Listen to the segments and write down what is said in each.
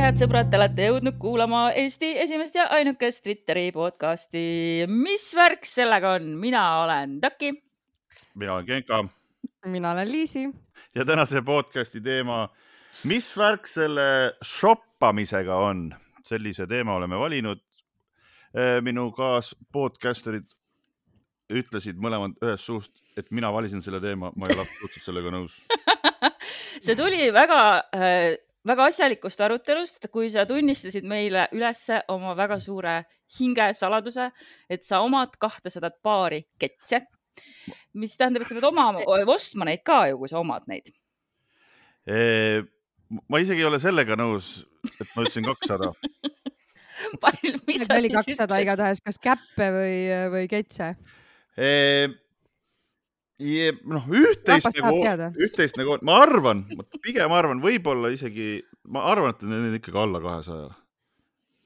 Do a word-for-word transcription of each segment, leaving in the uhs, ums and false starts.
head sõbrad, te olete jõudnud kuulama Eesti esimest ja ainukest Twitteri podcasti. Mis värk sellega on? Mina olen Taki. Mina olen Genka. Mina olen Liisi. Ja tänase podcasti teema, mis värk selle shoppamisega on? Sellise teema oleme valinud. Minu kaas podcasterid ütlesid mõlemad ühes suust, et mina valisin selle teema. Ma ei ole absoluutselt sellega nõus. See tuli väga... väga asjalikust arutelust, kui sa tunnistasid meile ülesse oma väga suure hingesaladuse, et sa omad kahtesadat paari ketse, mis tähendab, et sa pead oma, ostma neid ka ju, kui sa omad neid. E, ma isegi ei ole sellega nõus, et ma ütlesin kakssada. Mis oli kakssada igatahes, kas käppe või, või ketse? E, Ja, noh, üht-teist nagu, üht-teist nagu, ma arvan, pigem arvan, võib-olla isegi, ma arvan, et need on ikkagi alla kahesaja.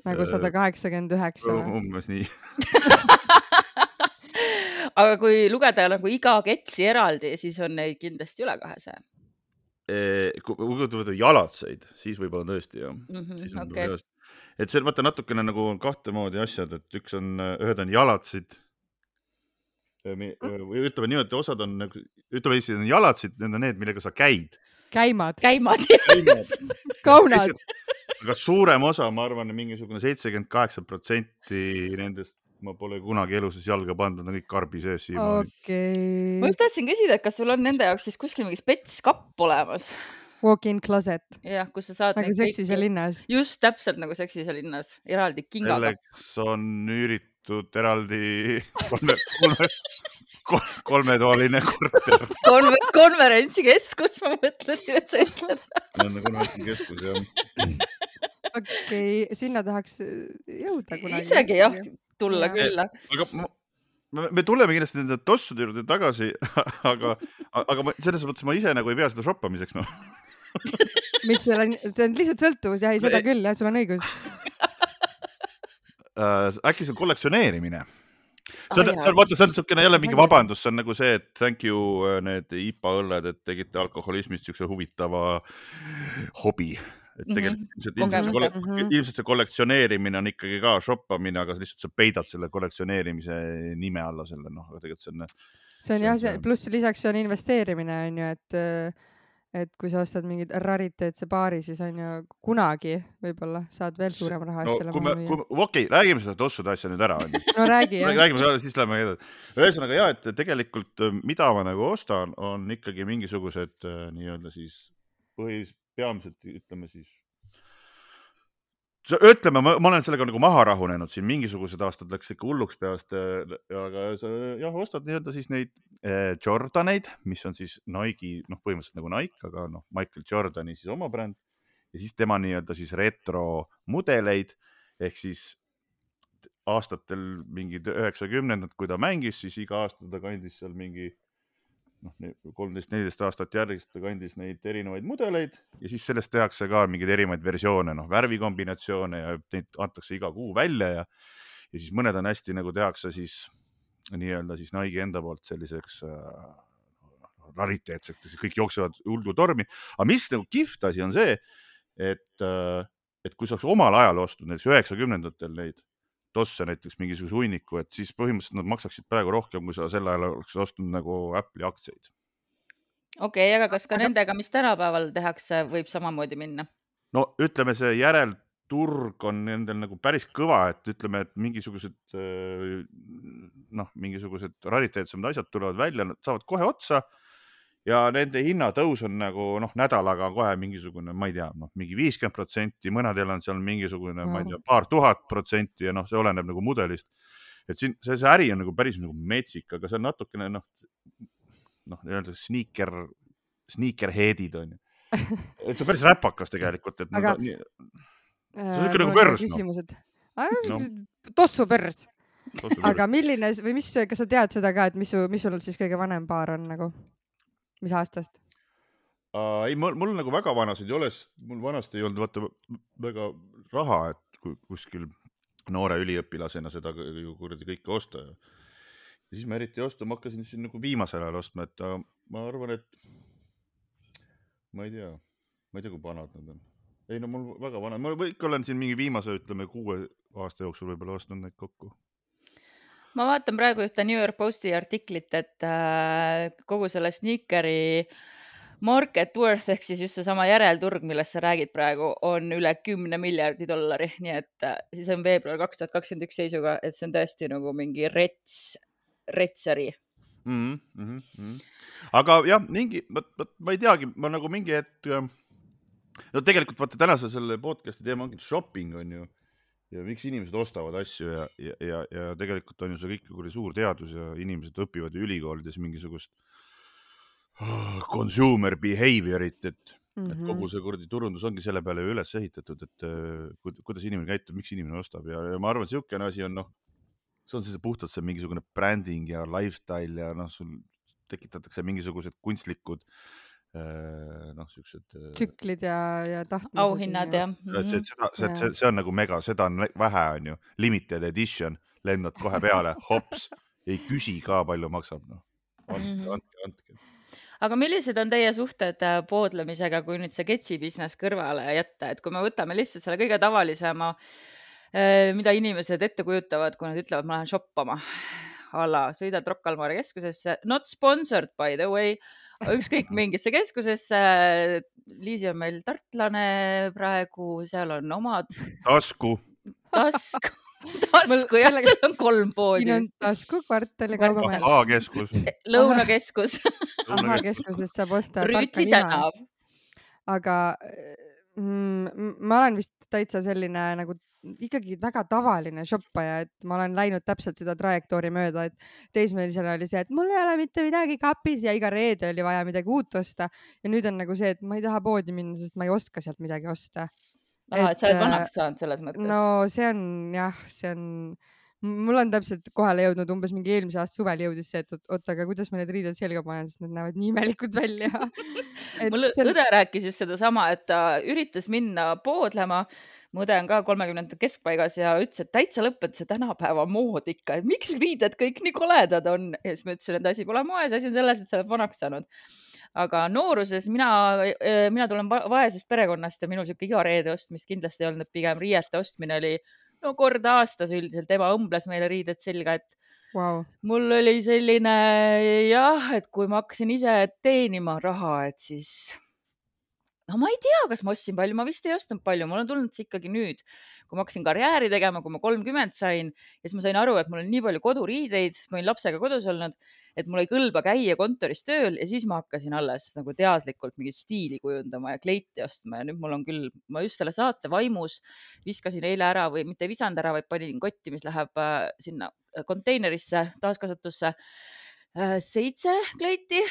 Nagu sada kaheksakümmend üheksa. Umbes nii. Aga kui lugeda nagu iga ketsi eraldi, siis on neid kindlasti üle kahesaja. Kui võtta jalatseid, siis võib-olla tõesti, jah. Mm-hmm, okay. Et see vaata natukene nagu kahte moodi asjad, et üks on, ühed on jalatsid, või ütleme nii, et osad on, ütleme Eesti on jalatsid, need on need, millega sa käid. Käimad. Käimad. Kaunad. Aga suurem osa, ma arvan, mingisugune seitsekümmend kaheksa protsenti nendest ma pole kunagi eluses jalga pandud, on kõik karbi sees siiamaani. Okay. Ma just tahtsin küsida, et kas sul on nende jaoks siis kuskil mingi spetskapp olemas? Walk-in closet. Jah, kus sa saad nagu seksise linnas. Just täpselt nagu seksise linnas. Eraldi kingaga. Selleks on üüritud eraldi kolme, kolme, kolmetoaline korter. Konver, konverentsikeskus, ma mõtlesin, et sa ütled. Konverentsikeskus, jah. Okei, okay, sinna tahaks jõuda kunagi. Isegi jah, tulla ja. Külla. Aga ma, me tuleme kindlasti nende tossude juurde tagasi, aga, aga ma, selles mõttes ma ise nagu ei pea seda shoppamiseks, noh. Mis see on, see on lihtsalt sõltuvus, jah, ei seda küll, jah, sul on õigus. Uh, äkki see on kollektsioneerimine. See on, ah, see on, vaata, see on niisugune jälle mingi vabandus, see on nagu see, et thank you need I P A õlled, et tegite alkoholismist niisuguse huvitava hobi. Et tegelikult mm-hmm. ilmselt, ilmselt, see, mm-hmm. ilmselt see kollektsioneerimine on ikkagi ka shoppamine, aga lihtsalt sa peidad selle kollektsioneerimise nime alla selle, noh, aga tegelikult see on... See on jah, see, pluss lisaks see on investeerimine, on ju, et et kui sa ostad mingid rariteetse paari, siis on ju kunagi võib-olla saad veel suurema raha no, selle maha müüa. Okei, okay, räägime seda tossude asja nüüd ära. No räägi, jah. Räägime seda, siis lähme edasi. Ühesõnaga jah, et tegelikult mida ma nagu ostan, on ikkagi mingisugused nii-öelda siis põhis, peamiselt ütleme siis ütleme, ma, ma olen sellega nagu maha rahunenud siin, mingisugused aastad läks ikka hulluks peast, aga sa jah, ostad nii-öelda siis neid eh, Jordaneid, mis on siis Nike, noh põhimõtteliselt nagu Nike, aga noh, Michael Jordani siis oma bränd ja siis tema nii-öelda siis retro mudeleid, ehk siis aastatel mingid üheksakümnendad, kui ta mängis, siis iga aasta ta kandis seal mingi noh, kolmteist neliteist aastat järgist kandis neid erinevaid mudeleid ja siis sellest tehakse ka mingeid erinevaid versioone, noh, värvikombinatsioone ja neid antakse iga kuu välja ja, ja siis mõned on hästi nagu tehakse siis nii-öelda siis Nike enda poolt selliseks äh, rariteetseks, siis kõik jooksevad hullu tormi. Aga mis nagu kihvt asi on see, et, äh, et kui sa oleks omal ajal ostnud näiteks üheksakümnendatel neid tosse näiteks mingisuguse hunniku, et siis põhimõtteliselt nad maksaksid praegu rohkem, kui sa sel ajal oleks ostnud nagu Apple'i aktsiaid. Okei, okay, aga kas ka aga... nendega, mis tänapäeval tehakse, võib samamoodi minna? No ütleme, see järelturg on nendel nagu päris kõva, et ütleme, et mingisugused noh, mingisugused rariteetsemad asjad tulevad välja, nad saavad kohe otsa ja nende hinnatõus on nagu noh, nädalaga kohe mingisugune, ma ei tea, noh, mingi viiskümmend protsenti, mõnedel on seal mingisugune, ma ei tea, paar tuhat protsenti ja noh, see oleneb nagu mudelist. Et siin see, see äri on nagu päris nagu metsik, aga see on natukene noh, noh, nii-öelda sneaker, sneakerheadid on ju. Et see on päris räpakas tegelikult, et aga... Nad, see on siuke nagu pörs. No. Tossu pörs. Aga milline, või mis, kas sa tead seda ka, et mis, mis sul siis kõige vanem paar on nagu? Mis aastast? Uh, ei, mul, mul nagu väga vanasid ei ole, sest mul vanasti ei olnud vaata väga raha, et kuskil noore üliõpilasena seda kuradi kõike osta. Ja siis ma eriti osta, ma hakkasin siin nagu viimasel ajal ostma, et ma arvan, et ma ei tea, ma ei tea, kui vanad nad on. ei no mul väga vana, ma ikka olen siin mingi viimase, ütleme, kuue aasta jooksul võib-olla ostnud neid kokku. ma vaatan praegu ühte New York Posti artiklit, et äh, kogu selle sneakeri market worth ehk siis just seesama järelturg, millest sa räägid praegu, on üle kümne miljardi dollari, nii et äh, siis on veebruar kaks tuhat kakskümmend üks seisuga, et see on tõesti nagu mingi rets, retsari. Mm -hmm, mm -hmm. aga jah, mingi, ma, ma, ma ei teagi, ma nagu mingi hetk, no tegelikult vaata tänase selle podcast'i teema ongi shopping on ju ja miks inimesed ostavad asju ja, ja, ja, ja tegelikult on ju see kõik kui suur teadus ja inimesed õpivad ju ülikoolides mingisugust oh, consumer behaviorit, et, mm -hmm. et kogu see kurdi turundus ongi selle peale ju üles ehitatud, et uh, kuidas inimene käitub, miks inimene ostab ja, ja ma arvan, et siukene asi on, noh, see on siis puhtalt see mingisugune branding ja lifestyle ja noh, sul tekitatakse mingisugused kunstlikud noh, siuksed tsüklid ja, ja tahtmised. Auhinnad ja. ja. See, seda, see, see, see on nagu mega, seda on vähe, on ju. Limited edition, lendad kohe peale, hops, ei küsi ka palju maksab, noh. Andke, andke, andke. Aga millised on teie suhted poodlemisega, kui nüüd see Getsi business kõrvale jätta, et kui me võtame lihtsalt selle kõige tavalisema, mida inimesed ette kujutavad, kui nad ütlevad, ma lähen shoppama, alla, sõidad Rocca al Mare keskusesse, not sponsored by the way, ükskõik mingisse keskusesse, Liisi on meil tartlane praegu, seal on omad tasku, tasku, tasku ja seal on kolm poodi. Siin on tasku, kvartali kaubamaja. A-keskus. Lõunakeskus. A-keskusest saab osta Rüütli tänav. Aga mm, ma olen vist täitsa selline nagu ikkagi väga tavaline shoppaja, et ma olen läinud täpselt seda trajektoori mööda, et teismelisena oli see, et mul ei ole mitte midagi kapis ja iga reede oli vaja midagi uut osta ja nüüd on nagu see, et ma ei taha poodi minna, sest ma ei oska sealt midagi osta. Aha, et sa oled vanaks saanud selles mõttes. No see on jah, see on, mul on täpselt kohale jõudnud umbes mingi eelmise aasta suvel jõudis see, et oota, aga kuidas ma need riided selga panen, sest need näevad nii imelikud välja. Mul õde rääkis just seda sama, et ta üritas minna poodlema. Mu õde on ka kolmekümnendate keskpaigas ja ütles, et täitsa lõpet see tänapäeva mood ikka, et miks riided kõik nii koledad on. Ja siis ma ütlesin, et asi pole moes, asi on selles, et sa oled vanaks saanud. Aga nooruses mina, mina tulen vaesest perekonnast ja minu siuke iga reede ostmist kindlasti ei olnud, pigem riiete ostmine oli no korda aastas üldiselt. Ema õmbles meile riided selga, et wow. Mul oli selline jah, et kui ma hakkasin ise teenima raha, et siis no ma ei tea, kas ma ostsin palju, ma vist ei ostnud palju, mul on tulnud see ikkagi nüüd, kui ma hakkasin karjääri tegema, kui ma kolmkümmend sain ja siis ma sain aru, et mul on nii palju koduriideid, ma olin lapsega kodus olnud, et mul ei kõlba käia kontoris tööl ja siis ma hakkasin alles nagu teadlikult mingit stiili kujundama ja kleiti ostma ja nüüd mul on küll, ma just selle saate vaimus viskasin eile ära või mitte visand ära, vaid panin kotti, mis läheb sinna konteinerisse, taaskasutusse seitse kleiti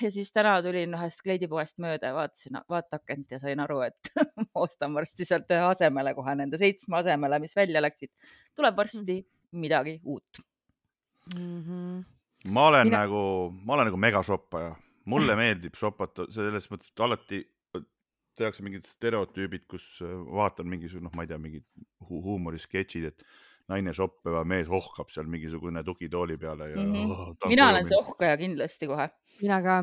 ja siis täna tulin ühest kleidipoest mööda ja vaatasin vaatakent ja sain aru, et ma ostan varsti sealt ühe asemele kohe nende seitsme asemele, mis välja läksid. Tuleb varsti midagi uut. Mm-hmm. Ma olen Mina... nagu, ma olen nagu megashoppaja. Mulle meeldib shoppata selles mõttes, et alati tehakse mingid stereotüübid, kus vaatan mingisugune, noh, ma ei tea, mingid hu huumorisketšid, et naine shoppeva mees ohkab seal mingisugune tukitooli peale. Ja, mm-hmm. oh, mina olen see ohkaja kindlasti kohe. Mina ka.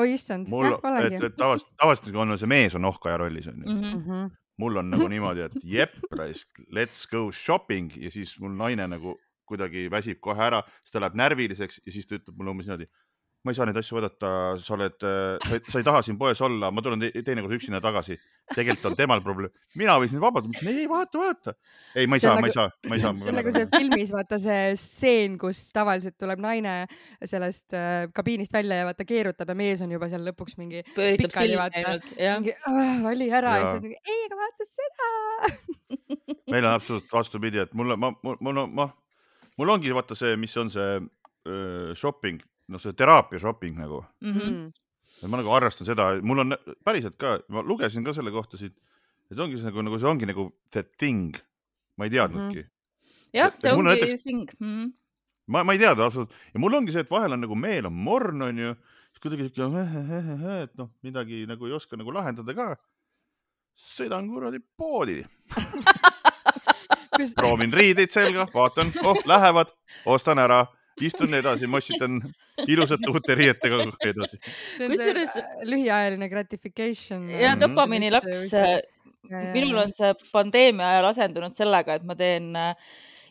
Oi, issand. Mul, et, et tavast, tavaliselt on see mees on ohkaja rollis. On mm-hmm. Mul on nagu niimoodi, et jep, let's go shopping ja siis mul naine nagu kuidagi väsib kohe ära, siis ta läheb närviliseks ja siis ta ütleb mulle umbes niimoodi, ma ei saa neid asju vaadata, sa oled, sa ei, sa ei taha siin poes olla, ma tulen te teine kord üksina tagasi. Tegelikult on temal probleem. Mina võisin vabalt, ma ütlesin, ei, vaata, vaata. Ei, ma ei saa, nagu, ma ei saa, ma ei saa. See on nagu see filmis, vaata see stseen, kus tavaliselt tuleb naine sellest äh, kabiinist välja ja vaata keerutab ja mees on juba seal lõpuks mingi pööritab pikali, vaata. Mingi, ah, vali ära ja, ja siis mingi, ei, aga vaata seda. Meil on absoluutselt vastupidi, et mulle, ma, mul, mul, ma, mul ongi vaata see, mis on see uh, shopping, no see teraapia shopping nagu. Mm-hmm. Ma nagu arvestan seda, mul on päriselt ka, ma lugesin ka selle kohta siit, et ongi see nagu, nagu see ongi nagu the thing. Ma ei teadnudki. Mm-hmm. Jah, see ongi näiteks, thing. Mm-hmm. Ma, ma ei teadnud absoluutselt. Ja mul ongi see, et vahel on nagu meel on morn, on ju, siis kuidagi et noh, midagi nagu ei oska nagu lahendada ka. Sõidan kuradi poodi. Proovin riideid selga, vaatan, oh, lähevad, ostan ära. Istun edasi, mossitan ilusat uute riietega edasi. See on see lühiajaline gratification. Ja dopamiini laks, minul on see pandeemia ajal asendunud sellega, et ma teen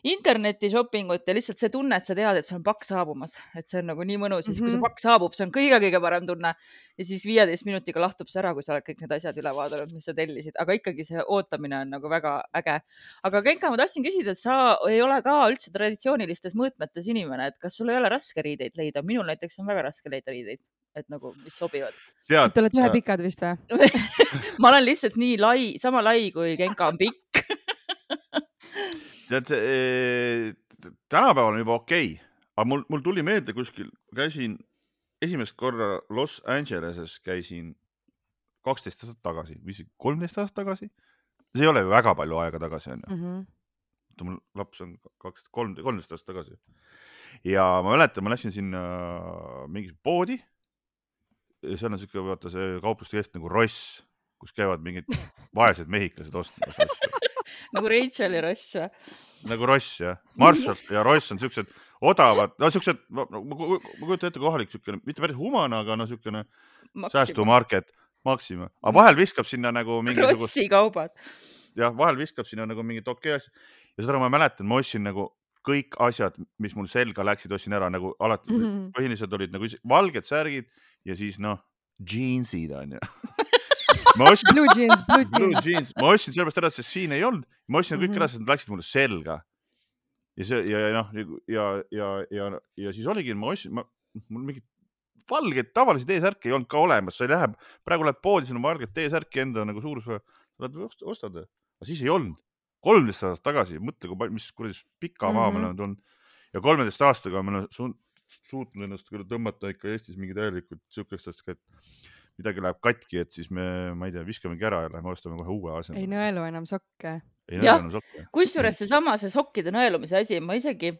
interneti shoppingut ja lihtsalt see tunne, et sa tead, et sul on pakk saabumas, et see on nagu nii mõnus, siis kui see pakk saabub, see on kõige-kõige parem tunne ja siis viieteist minutiga lahtub see ära, kui sa oled kõik need asjad üle vaadanud, mis sa tellisid, aga ikkagi see ootamine on nagu väga äge. Aga Genka, ma tahtsin küsida, et sa ei ole ka üldse traditsioonilistes mõõtmetes inimene, et kas sul ei ole raske riideid leida? Minul näiteks on väga raske leida riideid, et nagu, mis sobivad. Te olete ühe pikad vist või? Ma olen lihtsalt nii lai, sama lai kui Genka on pikk. Tead, e, tänapäeval on juba okei, aga mul, mul tuli meelde kuskil, käisin esimest korra Los Angeleses, käisin kaksteist aastat tagasi, või kolmteist aastat tagasi. See ei ole ju väga palju aega tagasi. On ju. Mm-hmm. Mul laps on kolmteist aastat tagasi. Ja ma mäletan, ma läksin sinna mingi poodi. See on siuke, vaata see kaupluste kest nagu Ross, kus käivad mingid vaesed mehiklased ostmas. Nagu Rachel ja Ross või? Nagu Ross, jah. Marshall ja Ross on siuksed odavad, no siuksed, ma, ma kujutan ette kohalik siukene, mitte päris humana, aga no siukene säästumarket, Maxima. Aga vahel viskab sinna nagu mingisugust... Krossi kaubad. Jah, vahel viskab sinna nagu mingit okei asja. Ja seda ma mäletan, ma ostsin nagu kõik asjad, mis mul selga läksid, ostsin ära nagu alati. Mm-hmm. Põhiliselt olid nagu valged särgid ja siis noh, jeansid on ju. Ma ostsin, blue jeans, blue jeans. Blue jeans. Ma ostsin sellepärast ära, sest siin ei olnud. Ma ostsin kõik mm-hmm. ära, sest nad läksid mulle selga. Ja, see, ja, ja, ja, ja, ja, ja siis oligi, ma ostsin, ma, mul mingid valged tavalised T-särki ei olnud ka olemas. Sa ei lähe, praegu lähed poodi, sul on valged T-särki enda nagu suurus, sa ostad. Aga siis ei olnud. kolmteist aastat tagasi, mõtle, kui, mis kuradi pika maa mm-hmm. meil on tulnud. Ja kolmeteist aastaga meil on su, suutnud ennast küll tõmmata ikka Eestis mingi täielikult siukestest, et midagi läheb katki, et siis me, ma ei tea, viskamegi ära ja lähme ostame kohe uue asja. Ei nõelu enam sokke. Ei nõelu enam sokke. Kusjuures see sama, see sokkide nõelumise asi, ma isegi,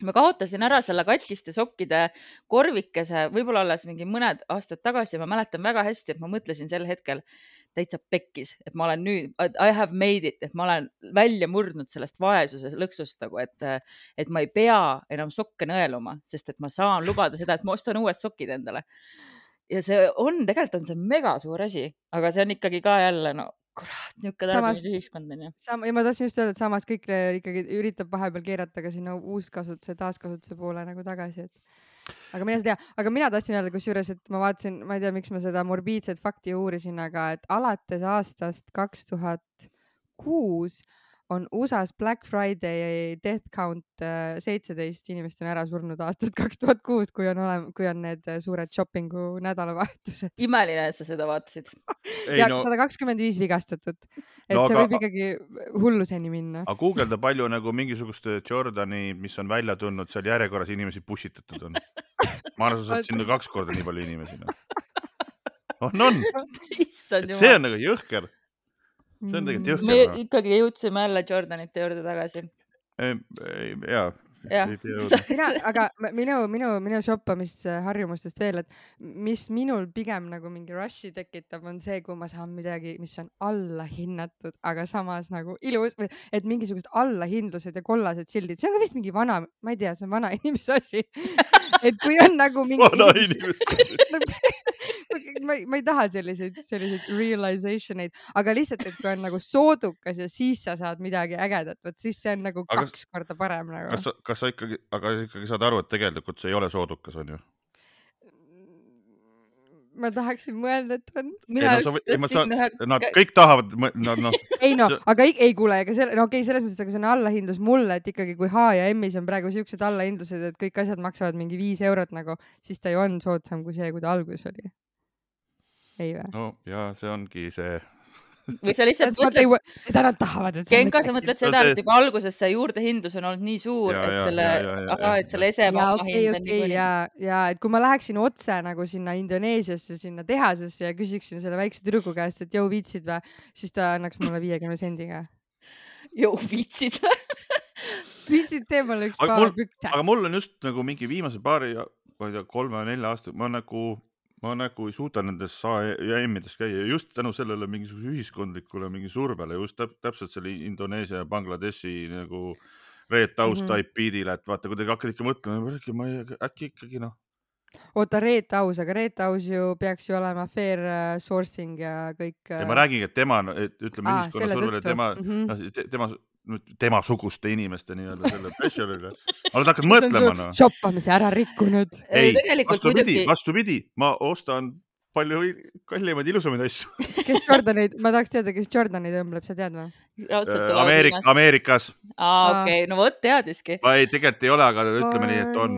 ma kaotasin ära selle katkiste sokkide korvikese, võib-olla alles mingi mõned aastad tagasi, ma mäletan väga hästi, et ma mõtlesin sel hetkel täitsa pekkis, et ma olen nüüd, I have made it, et ma olen välja murdnud sellest vaesuse lõksust, nagu, et, et ma ei pea enam sokke nõeluma, sest et ma saan lubada seda, et ma ostan uued sokid endale. Ja see on, tegelikult on see mega suur asi, aga see on ikkagi ka jälle, no kurat, niuke tarbimise ühiskond on ju. Sam, ja ma tahtsin just öelda, et samas kõik ikkagi üritab vahepeal keerata ka sinna uuskasutuse, taaskasutuse poole nagu tagasi, et aga mina seda tea, aga mina tahtsin öelda kusjuures, et ma vaatasin, ma ei tea, miks ma seda morbiidset fakti uurisin, aga et alates aastast kaks tuhat kuus on U S A-s Black Friday death count seitseteist inimest on ära surnud aastast kaks tuhat kuus, kui on, olem, kui on need suured shoppingu nädalavahetused. Imeline, et sa seda vaatasid. Ja no... sada kakskümmend viis vigastatud. Et no, see aga... võib ikkagi hulluseni minna. Aga Google'da palju nagu mingisuguste Jordani, mis on välja tulnud, seal järjekorras inimesi pussitatud on. Ma arvan, sa saad sinna kaks korda nii palju inimesi. On, on. See on nagu jõhker. See on tegelikult jõhker. Me ikkagi jõudsime jälle Jordanite juurde tagasi. Jaa. Ja. Mina, aga minu, minu, minu shoppamisharjumustest veel, et mis minul pigem nagu mingi rushi tekitab, on see, kui ma saan midagi, mis on alla hinnatud, aga samas nagu ilus, et mingisugused allahindlused ja kollased sildid, see on ka vist mingi vana, ma ei tea, see on vana inimese asi. Et kui on nagu mingi... Vana inimese. ma, ma ei taha selliseid, selliseid realizationeid, aga lihtsalt, et kui on nagu soodukas ja siis sa saad midagi ägedat, võt siis see on nagu aga kaks korda parem nagu. Kas, kas sa ikkagi, aga ikkagi saad aru, et tegelikult see ei ole soodukas, on ju? Ma tahaksin mõelda, et on. Mina ei, no, sa, ei, sa, ühe... Nad kõik tahavad, no, no. Ei no, aga ei, ei kuule, ega selle, no okei, selles mõttes, aga see on allahindlus mulle, et ikkagi kui H ja M-is on praegu siuksed allahindlused, et kõik asjad maksavad mingi viis eurot nagu, siis ta ju on soodsam kui see, kui ta alguses oli. Ei või? No ja see ongi see. Või sa lihtsalt mõtled, mida nad tahavad, et Genka, sa mõtled seda, et juba alguses see juurdehindlus on olnud nii suur, ja, et selle, ja, ja, ja, aha, et selle esemamma hind on okay, nii ja, ja, et kui ma läheksin otse nagu sinna Indoneesiasse, sinna tehasesse ja küsiksin selle väikse tüdruku käest, et jõu viitsid või, siis ta annaks mulle viiekümne sendiga. Jõu viitsid või? Viitsid tee mulle üks aga paar mul, pükse. Aga mul on just nagu mingi viimase paari, ma ei tea, kolme või nelja aasta, ma nagu... Ma nagu ei suuda nendes A ja M-ides käia just tänu sellele mingisuguse ühiskondlikule mingi survele, just täp täpselt selle Indoneesia ja Bangladeshi nagu Red House mm -hmm. type beatile, et vaata, kui te hakkad ikka mõtlema, ma ei, äkki ikkagi noh, oota, Reet Aus, aga Reet Aus ju peaks ju olema fair äh, sourcing ja kõik ja ma räägin, et tema, et ütleme Aa, ühiskonna selle survele, tõttu. tema, Mhm. noh, te- tema, tema suguste inimeste nii-öelda selle pressure'ile. aga ta hakkad See on mõtlema, su noh. shoppamise ära rikkunud. Ei, tegelikult vastupidi, muidugi vastupidi, ma ostan palju kallimaid ilusamaid asju. Kes Jordaneid, ma tahaks teada, kes Jordaneid õmbleb, sa tead või? raudselt tulevad Ameerik, Hiinast. Ameerikas. Aa, okei, no vot teadiski. ma ei, tegelikult ei ole, aga ütleme nii, et on.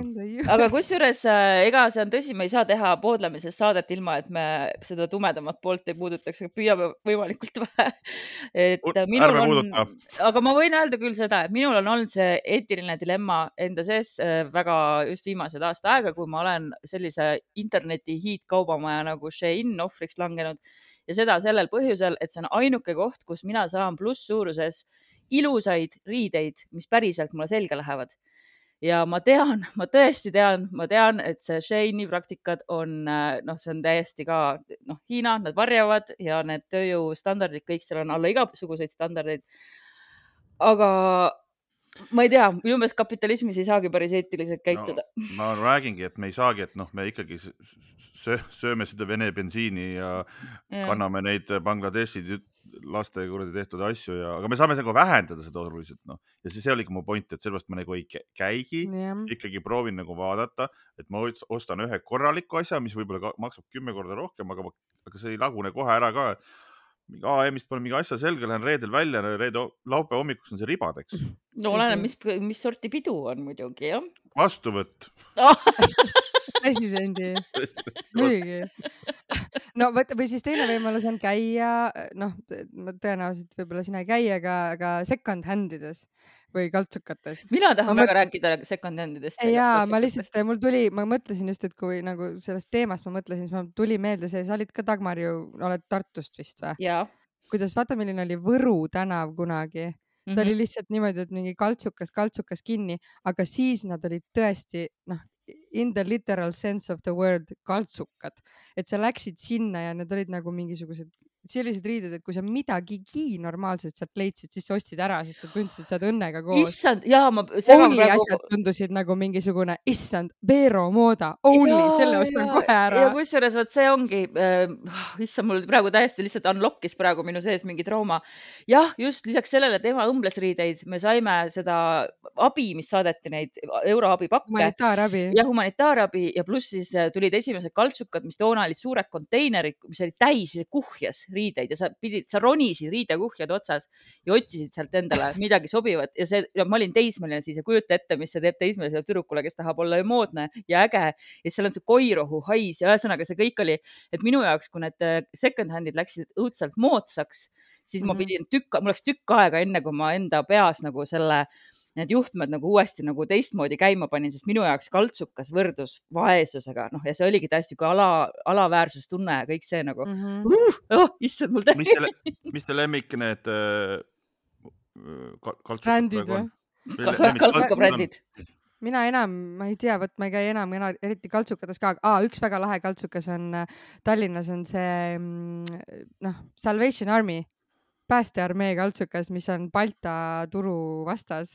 Aga kusjuures äh, ega see on tõsi, me ei saa teha poodlemisest saadet ilma, et me seda tumedamat poolt ei puudutaks, aga püüame võimalikult vähe. Et U- minul ärme on, puuduta. aga ma võin öelda küll seda, et minul on olnud see eetiline dilemma enda sees äh, väga just viimased aasta aega, kui ma olen sellise interneti hiidkaubamaja nagu Shein ohvriks langenud ja seda sellel põhjusel, et see on ainuke koht, kus mina saan plusssuuruses ilusaid riideid, mis päriselt mulle selga lähevad. Ja ma tean, ma tõesti tean, ma tean, et see Sheini praktikad on, noh, see on täiesti ka, noh, Hiina, nad varjavad ja need tööjõustandardid, kõik seal on alla igasuguseid standardeid. Aga ma ei tea, minu meelest kapitalismis ei saagi päris eetiliselt käituda. No, ma räägingi, et me ei saagi, et noh, me ikkagi sööme seda Vene bensiini ja, ja kanname neid Bangladeshi laste kuradi tehtud asju ja, aga me saame nagu vähendada seda oluliselt, noh. Ja see, see oli ka mu point, et sellepärast ma nagu ei käigi, ja. ikkagi proovin nagu vaadata, et ma ostan ühe korraliku asja, mis võib-olla maksab kümme korda rohkem, aga, aga see ei lagune kohe ära ka. A M-ist pole mingi asja selge, lähen reedel välja, reede laupäeva hommikuks on see ribadeks. No olen, mis, mis sorti pidu on muidugi, jah? Vastuvõtt. Presidendi. Muidugi. No võt, või siis teine võimalus on käia, noh, tõenäoliselt võib-olla sina ei käi, aga, aga second handides või kaltsukates. Mina tahan ma väga mõt... rääkida second handidest. Jaa, ma lihtsalt, mul tuli, ma mõtlesin just, et kui nagu sellest teemast ma mõtlesin, siis ma tuli meelde see, sa olid ka Dagmar ju, oled Tartust vist või? Jaa. Kuidas, vaata, milline oli Võru tänav kunagi. Ta mm-hmm. oli lihtsalt niimoodi, et mingi kaltsukas, kaltsukas kinni, aga siis nad olid tõesti, noh, in the literal sense of the word kaltsukad. Et sa läksid sinna ja need olid nagu mingisugused sellised riided, et kui sa midagigi normaalselt sealt leidsid, siis sa ostsid ära, siis sa tundsid, et sa oled õnnega koos. Issand, jaa, ma... Only praegu... asjad tundusid nagu mingisugune, issand, Vero mooda, only, ja, selle ostan ja, kohe ära. Ja kusjuures, võt see ongi, äh, issand, mul praegu täiesti lihtsalt unlockis praegu minu sees mingi trauma. Jah, just lisaks sellele tema õmblesriideid, me saime seda abi, mis saadeti neid euroabi pakke. Humanitaarabi. Ja humanitaarabi ja pluss siis tulid esimesed kaltsukad, mis toona olid suured konteinerid, mis oli täis kuhjas riideid ja sa pidid, sa ronisid riidekuhjad otsas ja otsisid sealt endale midagi sobivat ja see, ja ma olin teismeline siis ja kujuta ette, mis see teeb teismelisele tüdrukule, kes tahab olla moodne ja äge ja seal on see koirohu hais ja ühesõnaga see kõik oli, et minu jaoks, kui need second handid läksid õudselt moodsaks, siis mm-hmm. ma pidin tükk, mul läks tükk aega enne, kui ma enda peas nagu selle need juhtmed nagu uuesti nagu teistmoodi käima panin, sest minu jaoks kaltsukas võrdus vaesusega, noh, ja see oligi täiesti kui ala, alaväärsustunne ja kõik see nagu, mm-hmm. uh, oh, issand mul mis te, mis te lemmik need äh, kaltsukad brändid või? Kaltsukabrändid. Mina enam, ma ei tea, võt ma ei käi enam, enam eriti kaltsukates ka, ah, üks väga lahe kaltsukas on Tallinnas on see, noh, Salvation Army. Päästearmee kaltsukas, mis on Balta turu vastas.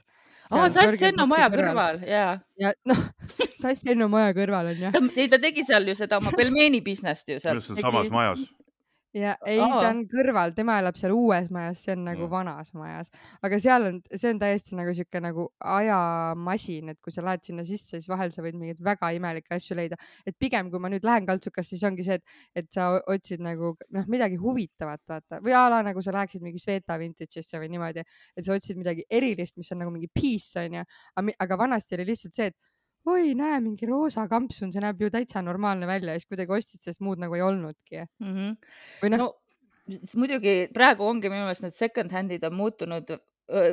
Aa, Sass Enno maja kõrval, jaa. Ja, noh, Sass Enno maja kõrval on, jah. Ta, ei, ta tegi seal ju seda oma pelmeeni business't ju seal. See on samas majas. Ja ei, ta on kõrval, tema elab seal uues majas, see on nagu mm. vanas majas. Aga seal on, see on täiesti nagu siuke nagu ajamasin, et kui sa lähed sinna sisse, siis vahel sa võid mingit väga imelikke asju leida. Et pigem, kui ma nüüd lähen kaltsukas, siis ongi see, et, et sa otsid nagu noh, midagi huvitavat, vaata. Või ala nagu sa läheksid mingi Sveta Vintage'isse või niimoodi, et sa otsid midagi erilist, mis on nagu mingi piece, on ja. Aga vanasti oli lihtsalt see, et oi, näe, mingi roosa kampsun, see näeb ju täitsa normaalne välja ja siis kuidagi ostid, sest muud nagu ei olnudki. Mm-hmm. Või noh. No, muidugi praegu ongi minu meelest need second handid on muutunud,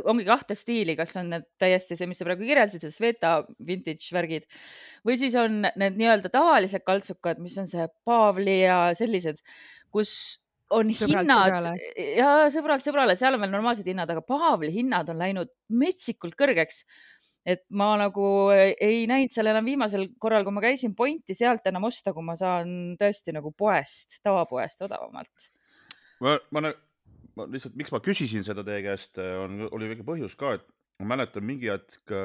ongi kahte stiili, kas on need täiesti see, mis sa praegu kirjeldasid, see Sveta vintage värgid või siis on need nii-öelda tavalised kaltsukad, mis on see Paavli ja sellised, kus on sõbralt hinnad sõbrale. Ja sõbralt sõbrale, seal on veel normaalsed hinnad, aga Paavli hinnad on läinud metsikult kõrgeks. Et ma nagu ei näinud seal enam viimasel korral, kui ma käisin pointi sealt enam osta, kui ma saan tõesti nagu poest, tavapoest odavamalt. Ma, ma, ma lihtsalt, miks ma küsisin seda teie käest, on, oli väike põhjus ka, et ma mäletan mingi hetk,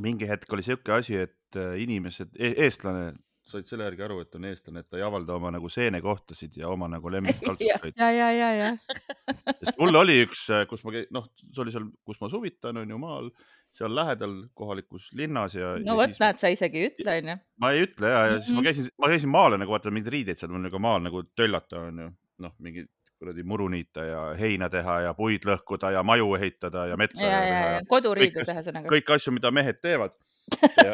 mingi hetk oli siuke asi, et inimesed, eestlane said selle järgi aru, et on eestlane, et ta ei avalda oma nagu seenekohtasid ja oma nagu lemmikkaltsukaid. ja, ja, ja, ja. Sest mul oli üks, kus ma, noh, see oli seal, kus ma suvitan, on ju maal, seal lähedal kohalikus linnas ja. No ja võt, näed, sa isegi ütle, on ju. Ma ei ütle ja, ja siis ma käisin, ma käisin maale nagu vaata mingid riideid seal, mul nagu maal nagu töllata on ju, noh, mingi kuradi muruniita ja heina teha ja puid lõhkuda ja maju ehitada ja metsa ja, teha. Ja, ja. Koduriidu teha sõnaga. Kõik asju, mida mehed teevad. Ja,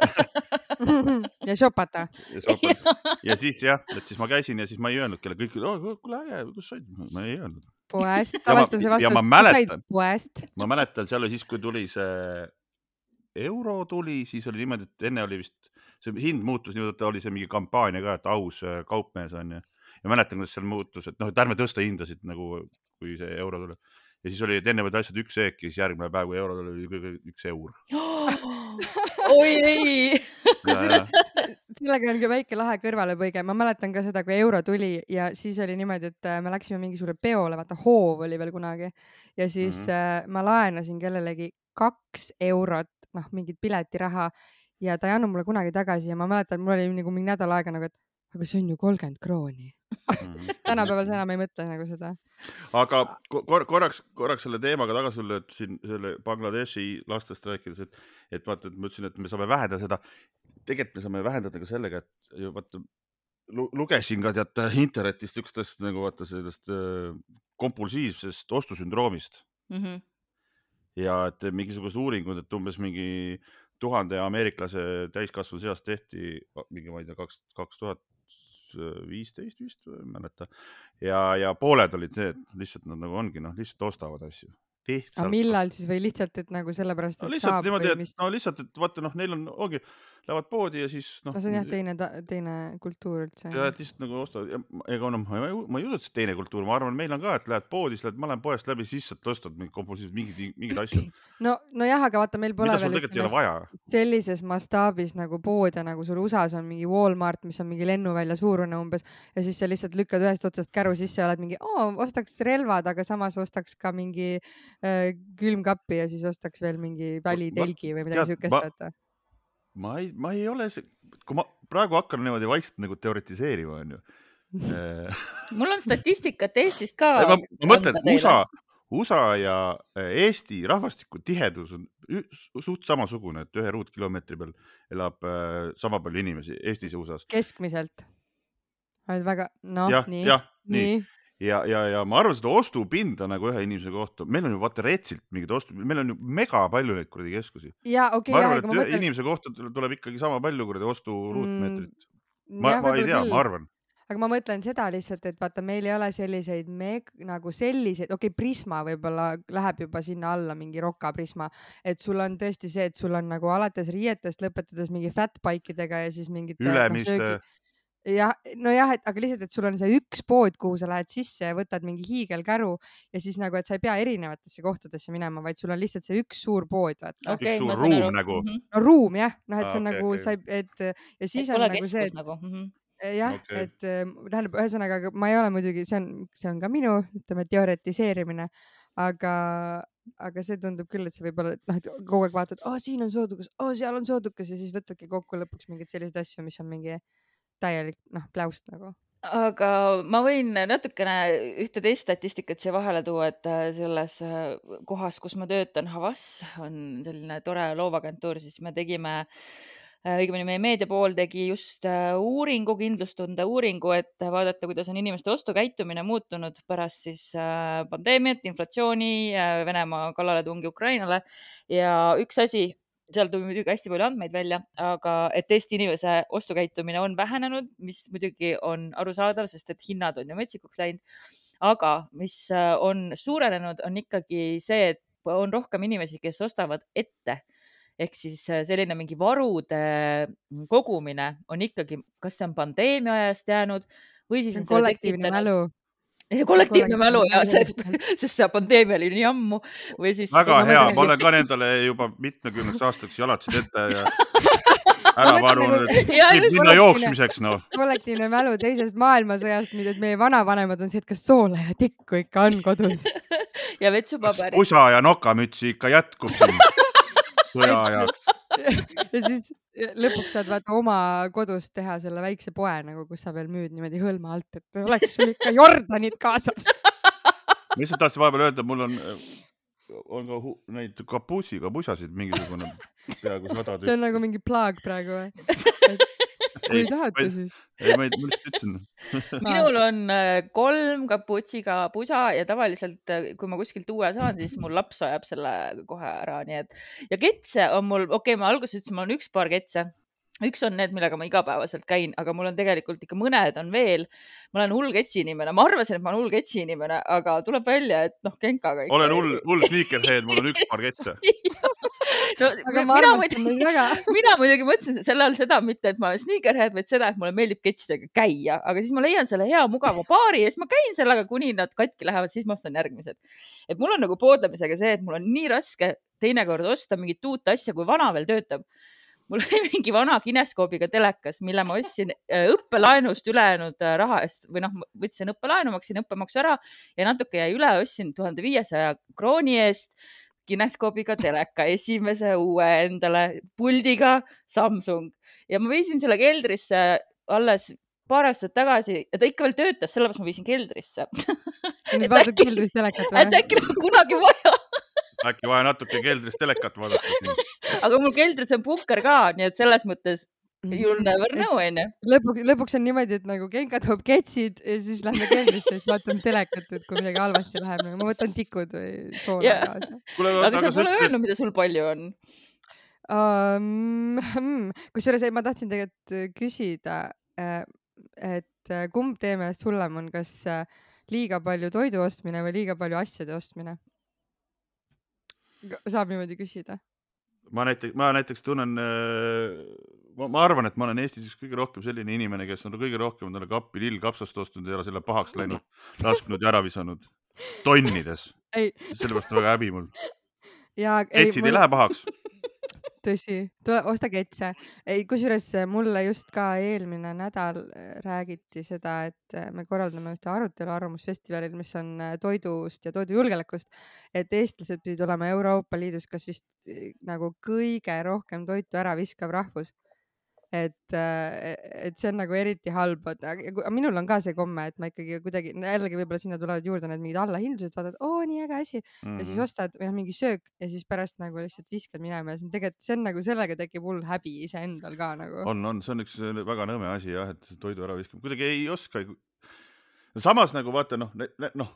ja šopata. Ja, šopata. Ja siis jah, et siis ma käisin ja siis ma ei öelnud kelle kõik, oh, kuule äge, kus said? Ma ei öelnud. Poest, tavaliselt see vastus, kus said poest? Ma mäletan, seal oli siis, kui tuli see euro tuli, siis oli niimoodi, et enne oli vist, see hind muutus niimoodi, et oli see mingi kampaania ka, et aus kaupmees on ja, ja mäletan, kuidas seal muutus, et noh, et ärme tõsta hindasid nagu, kui see euro tuli. Ja siis oli, et enne võid asjad üks eek ja siis järgmine päev, kui euro tuli, oli üks eur. Oi ei! Sellega on ka väike lahe kõrvalepõige. Ma mäletan ka seda, kui euro tuli ja siis oli niimoodi, et me läksime mingi suure peole, vaata hoov oli veel kunagi. Ja siis mm-hmm. ma laenasin kellelegi kaks eurot, noh, mingid piletiraha ja ta ei annu mulle kunagi tagasi ja ma mäletan, mul oli nagu mingi nädal aega nagu, et aga see on ju kolmkümmend krooni. Tänapäeval see enam ei mõtle nagu seda. Aga kor korraks, korraks selle teemaga tagasi sulle, et siin selle Bangladeshi lastest rääkides, et, et vaata, et ma ütlesin, et me saame vähendada seda. Tegelikult me saame vähendada ka sellega, et vaata, lugesin ka tead internetist ükstest nagu vaata sellest kompulsiivsest ostusündroomist. Mm-hmm. Ja et mingisugused uuringud, et umbes mingi tuhande ameeriklase täiskasvanu seast tehti mingi, ma ei tea, kaks, kaks tuhat viisteist vist või mäleta. Ja, ja pooled olid see, et lihtsalt nad nagu ongi, noh, lihtsalt ostavad asju. Lihtsalt. Aga millal siis või lihtsalt, et nagu sellepärast, et no, lihtsalt saab niimoodi, või mis? No lihtsalt, et vaata, noh, neil on, ongi, lähevad poodi ja siis, noh. No see on jah teine, teine kultuur üldse. Ja et lihtsalt nagu ostavad, ja ega no, ma, ma ei usu, et see teine kultuur, ma arvan, meil on ka, et lähed poodis, lähed, ma lähen poest läbi, siis sa ostad mingid, mingid asju. No, no jah, aga vaata, meil pole veel sellises mastaabis nagu pood ja nagu sul U S A-s on mingi Walmart, mis on mingi lennuvälja suurune umbes ja siis sa lihtsalt lükkad ühest otsast käru sisse ja oled mingi, oo, ostaks relvad, aga samas ostaks ka mingi äh, külmkappi ja siis ostaks veel mingi välitelgi või midagi sükest. Ma ei, ma ei ole see, kui ma praegu hakkan niimoodi vaikselt nagu teoretiseerima, on ju. Mul on statistikat Eestist ka. Ma, ma mõtlen, U S A, U S A ja Eesti rahvastiku tihedus on suht samasugune, et ühe ruutkilomeetri peal elab sama palju inimesi Eestis ja U S A-s. Keskmiselt. Väga, noh, ja, nii. Ja, nii. Ja, ja, ja ma arvan, seda ostupinda nagu ühe inimese kohta. Meil on ju vaata retsilt mingid ostupinda. Meil on ju mega palju neid kuradi keskusi. Ja, okay, ma arvan, ja, et mõtlen... inimese kohta tuleb ikkagi sama palju kuradi ostu ruutmeetrit. Ma, ja, ma ei tea, küll. Ma arvan. Aga ma mõtlen seda lihtsalt, et vaata, meil ei ole selliseid meg, nagu selliseid, okei, okay, Prisma võib-olla läheb juba sinna alla, mingi Roka Prisma, et sul on tõesti see, et sul on nagu alates riietest lõpetades mingi fatbikeidega ja siis mingid ülemiste no, ja no jah, et aga lihtsalt, et sul on see üks pood, kuhu sa lähed sisse ja võtad mingi hiigelkäru ja siis nagu, et sa ei pea erinevatesse kohtadesse minema, vaid sul on lihtsalt see üks suur pood. Okay, üks suur ruum aru. Nagu. No ruum jah, noh, et ah, see on okay, nagu, okay. sa, et ja siis et on nagu see, et, nagu. Mm-hmm. jah, okay. et tähendab, ühesõnaga, ma ei ole muidugi, see on, see on ka minu, ütleme, teoretiseerimine, aga, aga see tundub küll, et see võib olla, et noh, et kogu aeg vaatad, oh, siin on soodukas, oh, seal on soodukas ja siis võtadki kokku lõpuks mingid sellised asju, mis on mingi täielik, noh, pläust nagu. Aga ma võin natukene ühte teist statistikat siia vahele tuua, et selles kohas, kus ma töötan, Havas on selline tore loovagentuur, siis me tegime, õigemini meie meediapool tegi just uuringu, kindlustunde uuringu, et vaadata, kuidas on inimeste ostukäitumine muutunud pärast siis pandeemiat, inflatsiooni, Venemaa kallaletungi Ukrainale ja üks asi, seal tuli muidugi hästi palju andmeid välja, aga et Eesti inimese ostukäitumine on vähenenud, mis muidugi on arusaadav, sest et hinnad on ju metsikuks läinud. Aga mis on suurenenud, on ikkagi see, et on rohkem inimesi, kes ostavad ette. Ehk siis selline mingi varude kogumine on ikkagi, kas see on pandeemia ajast jäänud või siis on kollektiivne mälu. kollektiivne mälu ja sest, sest see pandeemia oli nii ammu või siis väga hea, ma olen ka nendele juba mitmekümneks aastaks jalatsid ette ja ära varunud, et minna jooksmiseks, no. Kollektiivne mälu teisest maailmasõjast, mida meie vanavanemad on see, et kas soola ja tikku ikka on kodus ja vetsupaberi. Pusa ja nokamütsi ikka jätkub siin sõja ajaks. Ja siis, lõpuks saad vaata oma kodus teha selle väikse poe nagu, kus sa veel müüd niimoodi hõlma alt, et oleks sul ikka Jordanid kaasas. Ma lihtsalt tahtsin vahepeal öelda, mul on, on ka hu- neid kapuusiga pusasid mingisugune peaaegu sada See on tükki. nagu mingi plaag praegu või? Kui Ei, tahate ma- siis. ei, ma ei, ma lihtsalt ütlesin. minul on äh, kolm kapuutsiga pusa ja tavaliselt, äh, kui ma kuskilt uue saan, siis mul laps ajab selle kohe ära, nii et ja ketse on mul, okei okay,, ma alguses ütlesin, mul on üks paar ketse. Üks on need, millega ma igapäevaselt käin, aga mul on tegelikult ikka mõned on veel. Ma olen hull ketsi inimene. Ma arvasin, et ma olen hull ketsi inimene, aga tuleb välja, et noh, Genkaga ikka. Olen hull, hull sneakerhead, mul on üks paar ketse. no, Aga mina, ma armastan muidugi, neid väga. mina muidugi mõtlesin selle all seda mitte, et ma olen sneakerhead, vaid seda, et mulle meeldib ketsidega käia, aga siis ma leian selle hea mugava paari ja siis ma käin sellega, kuni nad katki lähevad, siis ma ostan järgmised. Et mul on nagu poodlemisega see, et mul on nii raske teinekord osta mingit uut asja, kui vana veel töötab. Mul oli mingi vana kineskoobiga telekas, mille ma ostsin õppelaenust ülejäänud raha eest või noh, võtsin õppelaenu, maksin õppemaksu ära ja natuke jäi üle, ostsin tuhande viiesaja krooni eest kineskoobiga teleka, esimese uue endale puldiga Samsung ja ma viisin selle keldrisse alles paar aastat tagasi ja ta ikka veel töötas, sellepärast ma viisin keldrisse. Nüüd vaatad keldris telekat et või? äkki oleks kunagi vaja. Äkki vaja natuke keldris telekat vaadata. Aga mul keldris on punker ka, nii et selles mõttes you'll never know, enne. Lõpuks, lõpuks on niimoodi, et nagu Genka toob ketsid ja siis lähme keldrisse ja siis vaatame telekat, et kui midagi halvasti läheb. Ma võtan tikud või soola Ja. kaasa. Kuule, Aga aga sa sa pole ütled, öelnud, mida sul palju on. Um, hmm. Kusjuures ei, ma tahtsin tegelikult küsida, äh, et äh, kumb teie meelest hullem on, kas äh, liiga palju toidu ostmine või liiga palju asjade ostmine? Ga- Saab niimoodi küsida. ma näiteks, ma näiteks tunnen, äh, ma, ma arvan, et ma olen Eestis üks kõige rohkem selline inimene, kes on kõige rohkem talle kappi lillkapsast ostnud ja selle pahaks läinud, lasknud ja ära visanud tonnides. Ei, Sellepärast on väga häbi mul. ja ei, Ketsid ei mul, lähe pahaks. tõsi, tule, osta ketse. Ei, kusjuures mulle just ka eelmine nädal äh, räägiti seda, et äh, me korraldame ühte arutelu arvamusfestivalil, mis on äh, toidust ja toidujulgeolekust, et eestlased pidid olema Euroopa Liidus kas vist äh, nagu kõige rohkem toitu ära viskav rahvus. Et, äh, et see on nagu eriti halb. Aga aga minul on ka see komme, et ma ikkagi kuidagi, jällegi võib-olla sinna tulevad juurde need mingid allahindlused, vaatad, oo, nii äge asi. Ja siis Mhm. ostad või noh, mingi söök ja siis pärast nagu lihtsalt viskad minema ja see on tegelikult, see on nagu sellega tekib hull häbi iseendal ka nagu. on, on, see on üks väga nõme asi jah, et toidu ära viskab. Kuidagi ei oska. Samas nagu vaata, noh, noh,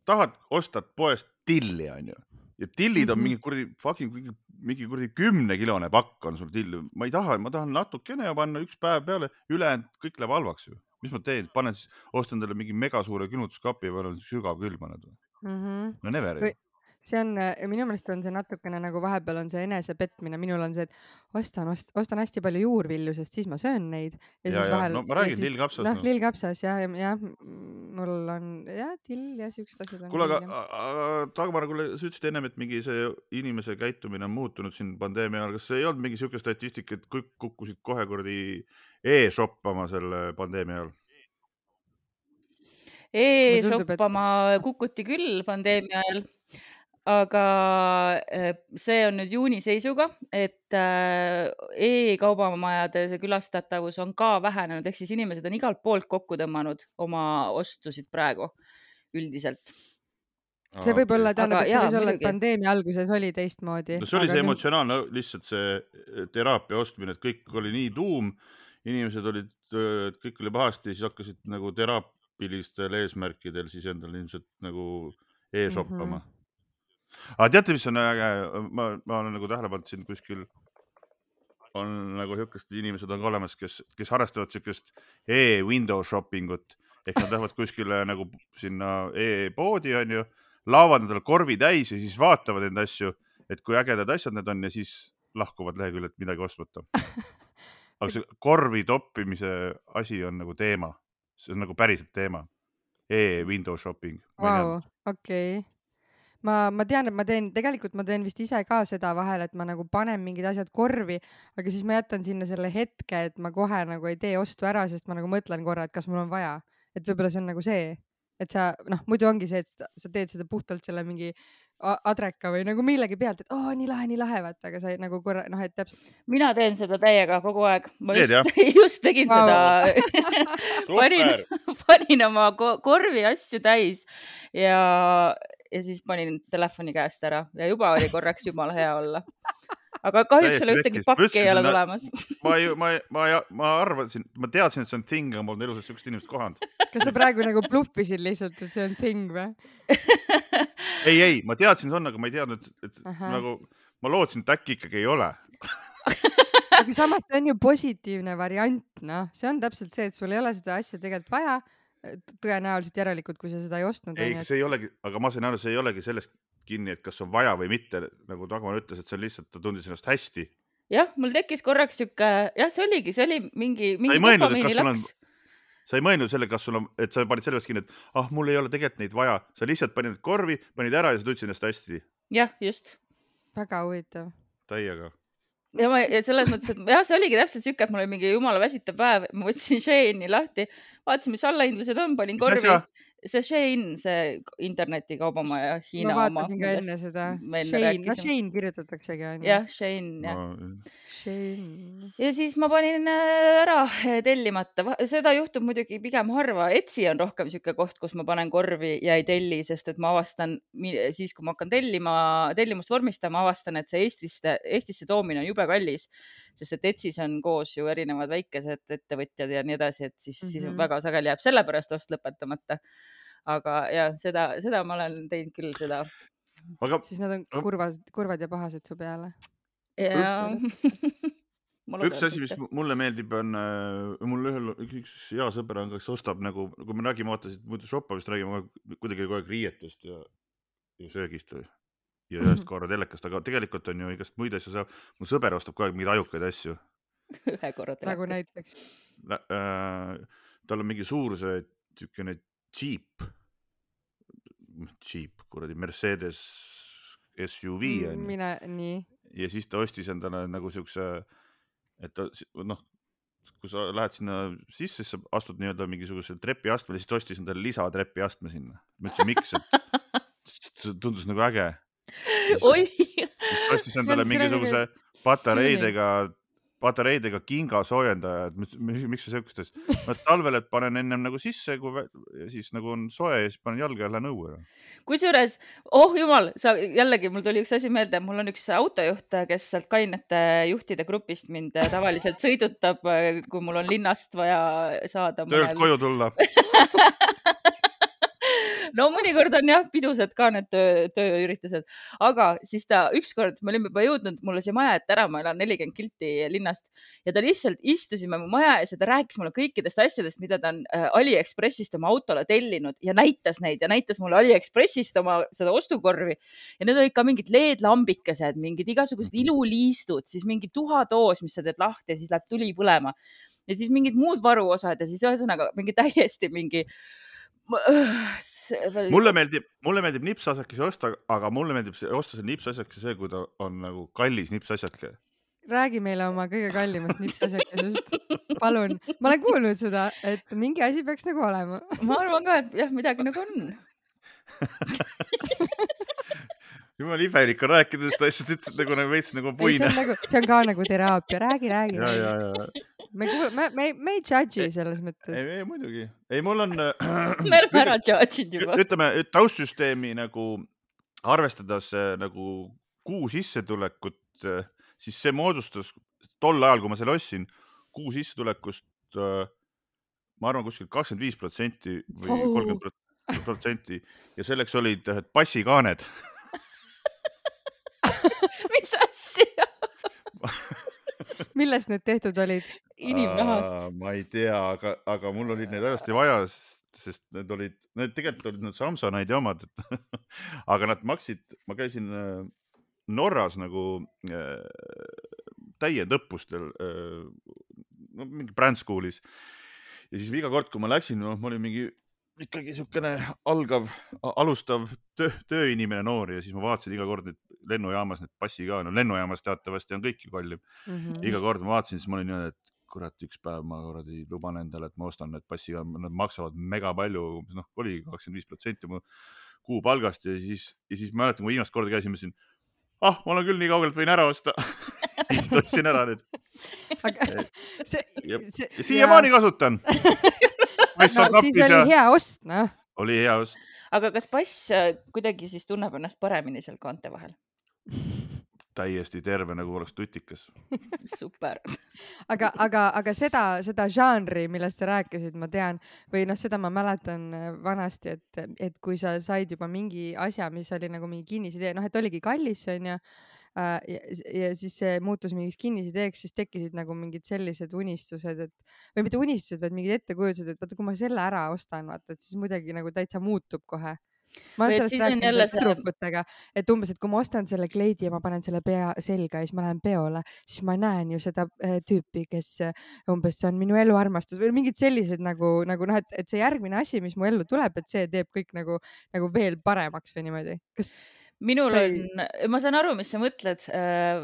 tahad, ostad poest tilli, on ju. Ja tillid on Mhm. mingi kuradi, fucking mingi, mingi kuradi kümnekilone pakk on sul tilli. Ma ei taha, ma tahan natukene ja panna üks päev peale, ülejäänud kõik läheb halvaks ju. Mis ma teen? Panen siis, ostan talle mingi megasuure külmutuskapi ja panen sügav külmanud. Mhm. No never Või- ju. see on, äh, minu meelest on see natukene nagu vahepeal on see enesepetmine. Minul on see, et ostan, ost- ostan hästi palju juurvilju, sest siis ma söön neid. Ja, Ja, siis ja, vahel. no ma ja räägin siis- lillkapsast, Noh, noh. lillkapsas ja, ja, ja mul on ja till ja siuksed asjad on. Kuule, aga küll, jah. aga Dagmar, kuule, sa ütlesid ennem, et mingi see inimese käitumine on muutunud siin pandeemia ajal. Kas ei olnud mingi siuke statistik, et kõik kukkusid kohe kuradi e-shoppama selle pandeemia ajal? Mulle tundub, et- E-shoppama kukuti küll pandeemia ajal, aga äh, see on nüüd juuni seisuga, et äh, e-kaubamajade see külastatavus on ka vähenenud, ehk siis inimesed on igalt poolt kokku tõmmanud oma ostusid praegu üldiselt. see võib olla, tähendab, Aga et see jaa, võis olla, et muidugi. pandeemia alguses oli teistmoodi. No see oli aga see nüüd- emotsionaalne, lihtsalt see teraapia ostmine, et kõik oli nii tuum, inimesed olid, et kõik oli pahasti, siis hakkasid nagu teraapilistel eesmärkidel siis endal ilmselt nagu e-shoppama. Aga teate, mis on äge? Ma, ma olen nagu tähele pannud siin kuskil on nagu niisugused inimesed on ka olemas, kes, kes harrastavad niisugust e-window shopping ut, ehk nad lähevad kuskile nagu sinna e-poodi, on ju, laavad endale korvi täis ja siis vaatavad enda asju, et kui ägedad asjad need on ja siis lahkuvad leheküljelt midagi ostmata. Aga see korvi toppimise asi on nagu teema. See on nagu päriselt teema. E-window shopping. Vau, okei. Ma, ma tean, et ma teen, tegelikult ma teen vist ise ka seda vahel, et ma nagu panen mingid asjad korvi, aga siis ma jätan sinna selle hetke, et ma kohe nagu ei tee ostu ära, sest ma nagu mõtlen korra, et kas mul on vaja. Et võib-olla see on nagu see. et sa noh, muidu ongi see, et sa teed seda puhtalt selle mingi adreka või nagu millegi pealt, et oo, nii lahe, nii lahe, vaata, aga sa nagu korra, noh, et täpselt. Mina teen seda täiega kogu aeg. Ma Teed, just, just tegin Vau. seda. panin, panin oma ko- korvi asju täis ja, ja siis panin telefoni käest ära ja juba oli korraks jumala hea olla. Aga kahjuks Täiesti ole ühtegi vekkis. pakki ei ole Mõtlesin, tulemas. ma, ju- ma, ma, ma arvasin, ma teadsin, et see on thing, aga mul on elus sihukest inimest kohanud. Kas sa praegu nagu bluffisid lihtsalt, et see on thing või? Ei, ei, ma teadsin, see on, aga ma ei teadnud, et Aha. nagu ma lootsin, et äkki ikkagi ei ole. Aga samas see on ju positiivne variant, noh. See on täpselt see, et sul ei ole seda asja tegelikult vaja. Tõenäoliselt järelikult, kui sa seda ei ostnud. Ei, see ei olegi, aga ma sain aru, see ei olegi sellest kinni, et kas on vaja või mitte. Nagu Dagmar ütles, et see on lihtsalt, ta tundis ennast hästi. Jah, mul tekkis korraks siuke, jah, see oligi, see oli mingi, mingi ei mõelnud, et dopamiini kas sul on- laks. Sa ei mõelnud selle, kas sul on, et sa panid sellest kinni, et ah, mul ei ole tegelikult neid vaja. Sa lihtsalt panid need korvi, panid ära ja sa tundsid ennast hästi. Jah, just. Väga huvitav. Täiega. Ja, ma, ja selles mõttes, et jah, see oligi täpselt siuke, et mul oli mingi jumala väsitav päev. Ma võtsin Sheine'i lahti, vaatasin, mis allahindlused on, panin Mis korvi. asja? See Shein, see internetikaubamaja Hiina Ma oma. vaatasin ka enne seda. me enne Shane, no rääkisime. Shane kirjutataksegi. On ju. Jah, Shein, jah. Ma... Shane. Ja siis ma panin äh, ära äh, tellimata. Va- Seda juhtub muidugi pigem harva. Etsi on rohkem siuke koht, kus ma panen korvi ja ei telli, sest et ma avastan mi- siis, kui ma hakkan tellima, tellimust vormistama, avastan, et see Eestisse, Eestisse toomine on jube kallis, sest et Etsis on koos ju erinevad väikesed ettevõtjad ja nii edasi, et siis, mm -hmm. siis Mhm. väga sageli jääb sellepärast ost lõpetamata. Aga ja seda, seda ma olen teinud küll seda. aga Siis nad on kurvad, kurvad ja pahased su peale. Ja... üks asi, mis mulle meeldib, on äh, mul ühel, üks hea sõber on, kes ostab nagu, kui me räägime, vaatasid muidu shoppamist, räägime kuidagi kogu aeg riietust ja, ja söögist või, ja ühest korra telekast, aga tegelikult on ju igast muid asju. Sa, mul sõber ostab kogu aeg mingeid ajukaid asju. Ühe korra Nagu telekast. näiteks. Äh, tal on mingi suur see tükene Jeep, Jeep, kuradi Mercedes S U V on ju. Mine, nii. Ja siis ta ostis endale nagu siukse, et ta, noh, kui sa lähed sinna sisse, siis sa astud nii-öelda mingisugusel trepiastmele, siis ta ostis endale lisatrepi astme sinna. Ma ütlesin, miks, et see tundus nagu äge. Oi! Siis ta ostis endale mingisuguse patareidega, patareidega kinga soojendaja, et miks see siukestes, no talvel, et panen ennem nagu sisse, kui ja siis nagu on soe ja siis panen jalga ja lähen õue. Kusjuures, oh jumal, sa jällegi, mul tuli üks asi meelde, mul on üks autojuht, kes sealt kainete juhtide grupist mind tavaliselt sõidutab, kui mul on linnast vaja saada. Töölt koju tulla. No mõnikord on jah, pidused ka need töö, tööüritused, aga siis ta ükskord, me olime juba jõudnud mulle siia maja ette ära, ma elan nelikümmend kilti linnast ja ta lihtsalt istusime mu maja ees ja ta rääkis mulle kõikidest asjadest, mida ta on AliExpressist oma autole tellinud ja näitas neid ja näitas mulle AliExpressist oma seda ostukorvi ja need olid ka mingid L E D-lambikesed, mingid igasugused iluliistud, siis mingi tuhatoos, mis sa teed lahti ja siis läheb tuli põlema ja siis mingid muud varuosad ja siis ühesõnaga mingi täiesti mingi mulle meeldib, mulle meeldib nipsasjake osta, aga mulle meeldib osta see nipsasjake see, kui ta on nagu kallis nipsasjake. Räägi meile oma kõige kallimast nipsasjakesest. Palun. Ma olen kuulnud seda, et mingi asi peaks nagu olema. Ma arvan ka, et jah, midagi nagu on. Jumal imelik on rääkides, ta lihtsalt ütles nagu veits nagu puine. See on, nagu, see on ka nagu teraapia. Räägi, räägi. Ja, ja, ja. Me, me, me, me ei judge'i selles mõttes. Ei, ei, muidugi. Ei, mul on... Me oleme ära judge'id juba. Ütleme, taustsüsteemi nagu arvestades nagu kuu sissetulekut, siis see moodustas tol ajal, kui ma selle ostsin, kuu sissetulekust, ma arvan, kuskil kakskümmend viis protsenti või kolmkümmend protsenti ja selleks olid passikaaned. Mis asja? Millest need tehtud olid? Inimnahast. Ma ei tea, aga, aga mul olid need hästi vaja, sest need olid, need tegelikult olid need Samsonaid ja omad, et, aga nad maksid, ma käisin Norras nagu äh, täiendõppustel äh, no, mingi brand schoolis ja siis iga kord, kui ma läksin, no, ma olin mingi ikkagi siukene algav, alustav töö, tööinimene noor ja siis ma vaatasin iga kord need lennujaamas, need passi ka, no lennujaamas teatavasti on kõik ju kallim. Mm -hmm. Iga kord ma vaatasin, siis ma olin, et kurat, üks päev ma kuradi luban endale, et ma ostan need passiga, nad maksavad mega palju, noh, oli kakskümmend viis protsenti mu kuupalgast ja siis, ja siis mäletan, kui viimast korda käisin, mõtlesin, ah, ma olen küll nii kaugelt, võin ära osta. Ja siis ostsin ära nüüd. Aga see, Ja, see, ja siiamaani kasutan. no, siis oli hea ost, noh. Oli hea ost. aga kas pass äh, kuidagi siis tunneb ennast paremini seal kaante vahel? Täiesti terve, nagu oleks tutikas. Super. aga, aga, aga seda, seda žanri, millest sa rääkisid, ma tean, või noh, seda ma mäletan vanasti, et, et kui sa said juba mingi asja, mis oli nagu mingi kinnisidee, noh, et oligi kallis, on ju, ja, ja siis see muutus mingiks kinnisideeks, siis tekkisid nagu mingid sellised unistused, et või mitte unistused, vaid mingid ettekujutused, et vaata, kui ma selle ära ostan, vaata, et siis muidugi nagu täitsa muutub kohe. Ma olen sellest rääkinud see... tüdrukutega, et umbes, et kui ma ostan selle kleidi ja ma panen selle pea selga ja siis ma lähen peole, siis ma näen ju seda äh, tüüpi, kes äh, umbes see on minu eluarmastus või mingid sellised nagu, nagu noh, et, et see järgmine asi, mis mu ellu tuleb, et see teeb kõik nagu, nagu veel paremaks või niimoodi. Kas minul See- on, ma saan aru, mis sa mõtled, äh,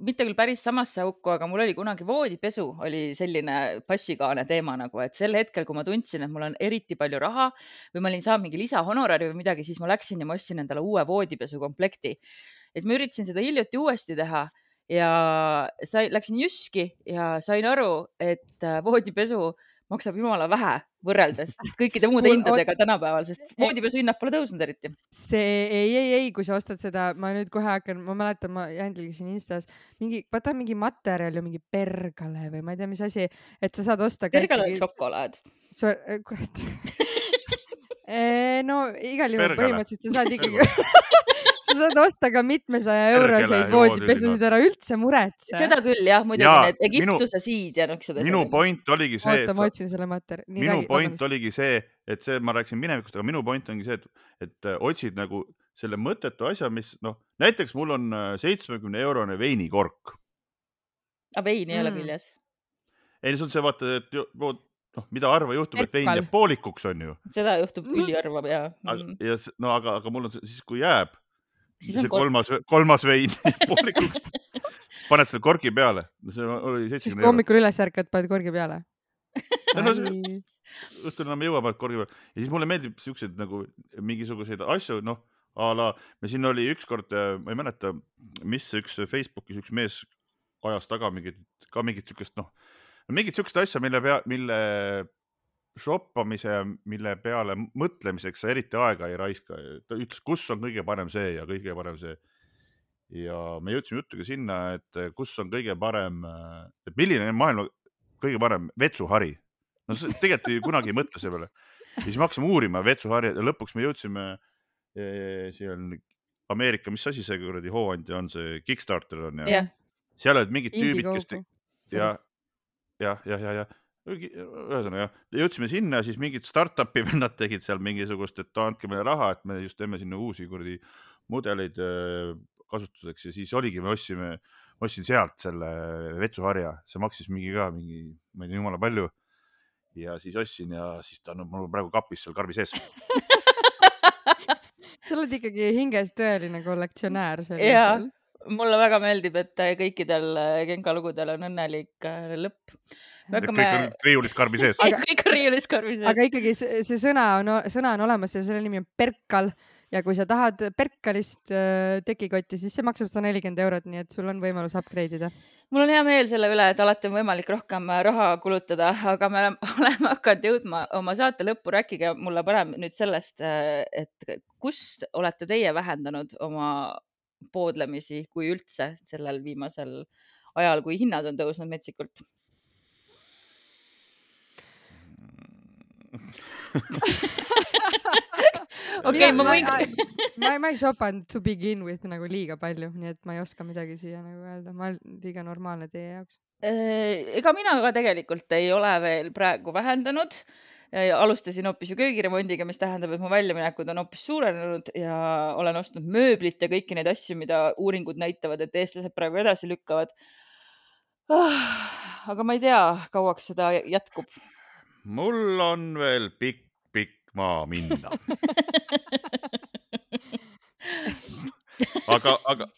mitte küll päris samasse auku, aga mul oli kunagi voodipesu, oli selline passikaane teema nagu, et sel hetkel, kui ma tundsin, et mul on eriti palju raha või ma olin saanud mingi lisahonorari või midagi, siis ma läksin ja ma ostsin endale uue voodipesu komplekti. Ja siis ma üritasin seda hiljuti uuesti teha ja sai, läksin Jyski ja sain aru, et äh, voodipesu maksab jumala vähe võrreldes kõikide muude Mul- hindadega tänapäeval, sest voodipesu hinnad pole tõusnud eriti. see ei, ei, ei, kui sa ostad seda, ma nüüd kohe hakkan, ma mäletan, ma jälgisin Instas mingi, vaata mingi materjal ju mingi Pergale või ma ei tea, mis asi, et sa saad osta ka Pergal on ikkagi- šokolaad. So, kurat. no igal juhul Pergale. põhimõtteliselt sa saad ikkagi sa saad osta ka mitmesaja euroseid Pergele voodipesusid, ära üldse muretse. Seda küll jah, muidugi Jaa, need Egiptuse siid ja niisugused Minu asjad. point oligi see, oota, et ma sa, otsin selle materjali. minu point oligi see, et see, ma rääkisin minevikust, aga minu point ongi see, et, et äh, otsid nagu selle mõttetu asja, mis noh, näiteks mul on äh, seitsmekümne eurone veinikork. Aga veini ei ole Mm. küljes. Ei, see on see, vaata, et ju- noh, mida harva juhtub, et vein Perkal. jääb poolikuks, on ju. Seda juhtub Mhm. üliharva ja Aga, mm. ja, s- no aga, aga mul on see, siis, kui jääb Siis on see kork. kolmas, kolmas vein jääb poolikuks, siis paned selle korgi peale. See oli siis seitsekümmend kui eurot. hommikul üles ärkad, paned korgi peale. Ja no see- õhtul enam ei jõua, paned korgi peale. Ja siis mulle meeldib siukseid nagu mingisuguseid asju, noh, a la, me siin oli ükskord, ma ei mäleta, mis üks Facebookis üks mees ajas taga mingit, ka mingit siukest, noh, mingit siukest asja, mille pea, mille shoppamise, mille peale mõtlemiseks sa eriti aega ei raiska. Ta ütles, kus on kõige parem see ja kõige parem see. Ja me jõudsime jutuga sinna, et kus on kõige parem, et milline on maailma kõige parem vetsuhari. No see, tegelikult ei, kunagi ei mõtle selle peale. Ja siis me hakkasime uurima vetsuhari ja lõpuks me jõudsime eh, siin Ameerika, mis asi see kuradi hooandja on, see Kickstarter on ja jah, seal olid mingid tüübid, kes te... Indiegogo. ja, ja, ja, ja, ja ühesõnaga, jõudsime sinna, siis mingid startupi vennad tegid seal mingisugust, et andke meile raha, et me just teeme sinna uusi kuradi mudeleid äh, kasutuseks ja siis oligi, me ostsime, ma ostsin sealt selle vetsuharja, see maksis mingi ka mingi, ma ei tea, jumala palju. Ja siis ostsin ja siis ta on mul praegu kapis seal karbi sees. sa oled ikkagi hinges tõeline kollektsionäär. ja mulle väga meeldib, et kõikidel Genka lugudel on õnnelik äh, lõpp. Kõik on riiulis karbi sees. Aga... kõik on riiulis karbi sees. aga ikkagi see, see sõna on, sõna on olemas ja selle nimi on Perkal ja kui sa tahad Perkalist äh, tekikotti, siis see maksab sada nelikümmend eurot, nii et sul on võimalus upgrade ida. Mul on hea meel selle üle, et alati on võimalik rohkem raha kulutada, aga me oleme hakanud jõudma oma saate lõppu. Rääkige mulle parem nüüd sellest, et kust olete teie vähendanud oma poodlemisi, kui üldse sellel viimasel ajal, kui hinnad on tõusnud metsikult? okei, ma võin... ma, ma ei shopanud to begin with nagu liiga palju, nii et ma ei oska midagi siia nagu öelda. Ma olen liiga normaalne teie jaoks. Ega mina ka tegelikult ei ole veel praegu vähendanud. Alustasin hoopis ju köögiremondiga, mis tähendab, et mu väljaminekud on hoopis suurenenud ja olen ostnud mööblit ja kõiki neid asju, mida uuringud näitavad, et eestlased praegu edasi lükkavad. Aga ma ei tea, kauaks seda jätkub. Mul on veel pikk, pikk maa minna. aga, aga,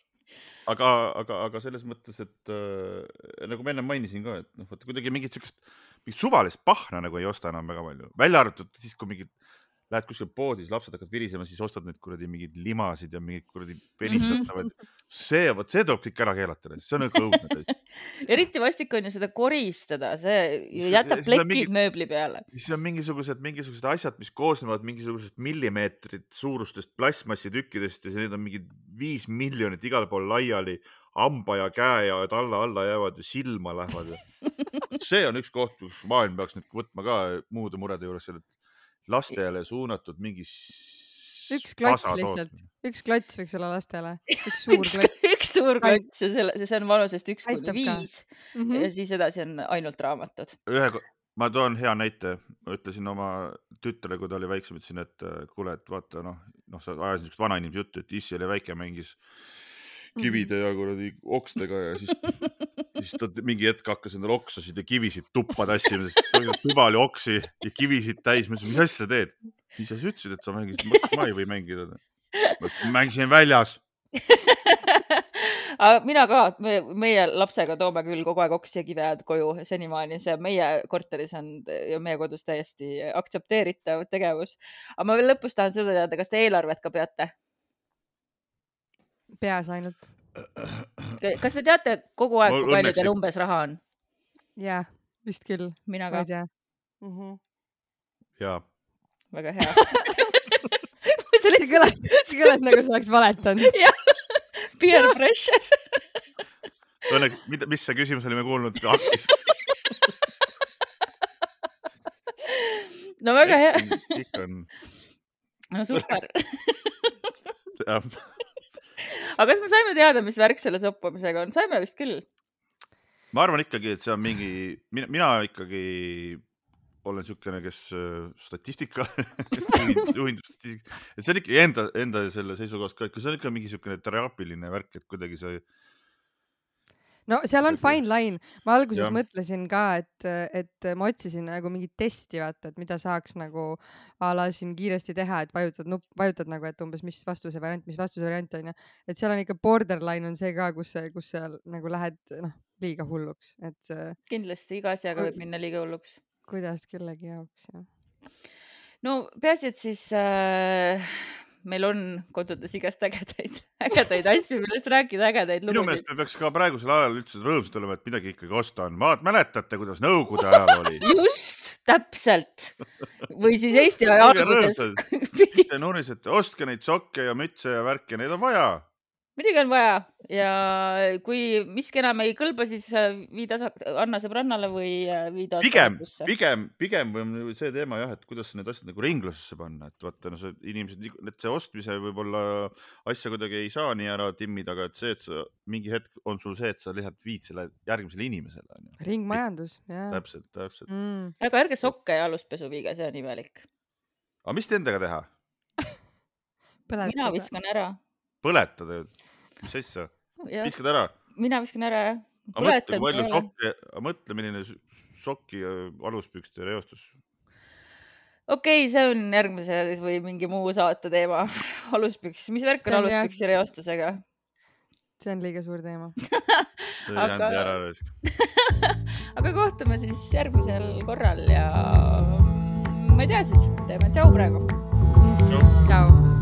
aga, aga, aga selles mõttes, et äh, nagu ma enne mainisin ka, et noh, vaata kuidagi mingit siukest, mingit suvalist pahna nagu ei osta enam väga palju. Välja arvatud siis, kui mingid lähed kuskil poodis, lapsed hakkad virisema, siis ostad need kuradi mingid limasid ja mingid kuradi penistatavad. See, võt, see tuleb kõik ära keelata. See on nagu õudne. Eriti vastik on ju seda koristada, see ju jätab plekid mingi, mööbli peale. See on mingisugused, mingisugused asjad, mis koosnevad mingisugused millimeetrid suurustest plasmassitükkidest ja need on mingid viis miljonit igal pool laiali, hamba ja käe ja alla, alla jäävad ja silma lähevad. See on üks koht, kus maailm peaks nüüd võtma ka muude murede juures selle, lastele suunatud mingis üks klots lihtsalt, üks klots võiks olla lastele, üks suur klots. üks suur klots ja see, see on vanusest üks kuni viis mm -hmm. ja siis edasi on ainult raamatud. Ühe, ma toon hea näite, ma ütlesin oma tütre, kui ta oli väiksem, ütlesin, et kuule, et vaata, noh, noh, sa ajasid niisugust vanainimese juttu, et issi oli väike, mängis kivide ja kuradi okstega ja siis, siis ta mingi hetk hakkas endale oksasid ja kivisid tuppa tassima, sest tuba oli oksi ja kivisid täis. Ma ütlesin, mis asja sa teed? Mis sa ütlesid, et sa mängisid? Mõtlesin, ma ei või mängida. Ma mängisin väljas. Mina ka, me, meie lapsega toome küll kogu aeg oksi ja kivead koju senimaani. See meie korteris on ja meie kodus täiesti aktsepteeritav tegevus. Aga ma veel lõpus tahan seda teada, kas te eelarvet ka peate? Peas ainult. Kas te teate kogu aeg, kui palju teil umbes raha on? Jah, vist küll. Mina ka. Mm -hmm. Jaa. Väga hea. see kõlas, see kõlas nagu sa oleks valetanud. Jah, peer pressure. Õnneks, mis see küsimus oli me kuulnud? Hakkis. No väga hea. Ikka on. No super. Jah. Aga kas me saime teada, mis värk selle soppamisega on? Saime vist küll. Ma arvan ikkagi, et see on mingi, mina, mina ikkagi olen niisugune, kes statistika, juhindub statistika, et see on ikka enda, enda selle seisukohast ka, et see on ikka mingi niisugune teraapiline värk, et kuidagi see no seal on fine line. Ma alguses ja. mõtlesin ka, et, et ma otsisin nagu mingit testi, vaata, et mida saaks nagu ala siin kiiresti teha, et vajutad, nup, vajutad nagu, et umbes mis vastuse variant, mis vastuse variant on. Ja. Et seal on ikka borderline on see ka, kus, kus seal nagu lähed noh, liiga hulluks. Et, kindlasti iga asjaga võib minna liiga hulluks. Kuidas kellegi jaoks, jah. No peaasi, et siis äh, meil on kodudes igast ägedaid, ägedaid asju, millest rääkida, ägedaid lugusid. Minu meelest me peaks ka praegusel ajal üldse rõõmsad olema, et midagi ikkagi osta on. Vaat mäletate, kuidas nõukogude ajal oli? Just, täpselt. Või siis Eesti aja alguses. Te nurisete, ostke neid sokke ja mütse ja värke, neid on vaja. Midagi on vaja ja kui miski enam ei kõlba, siis viida anna sõbrannale või viida pigem, pigem, pigem või see teema jah, et kuidas need asjad nagu ringlusesse panna, et vaata, no see inimesed, et see ostmise võib-olla asja kuidagi ei saa nii ära timmida, aga et see, et sa, mingi hetk on sul see, et sa lihtsalt viid selle järgmisele inimesele. Ringmajandus, jah. Täpselt, täpselt. Mm. Aga ärge sokke ja aluspesu viiga, see on imelik. Aga mis te endaga teha? Mina viskan ära. Põletada, mis asja? Viskad ära? Mina viskan ära, jah. Mõtle, palju sokke, mõtle, milline sokki aluspükste reostus. Okei, okay, see on järgmise või mingi muu saate teema. Aluspüks, mis värk on aluspüksi reostusega? See on liiga suur teema. See aga... jändi ära resk. Aga kohtume siis järgmisel korral ja ma ei tea siis, teeme tšau praegu. Tšau.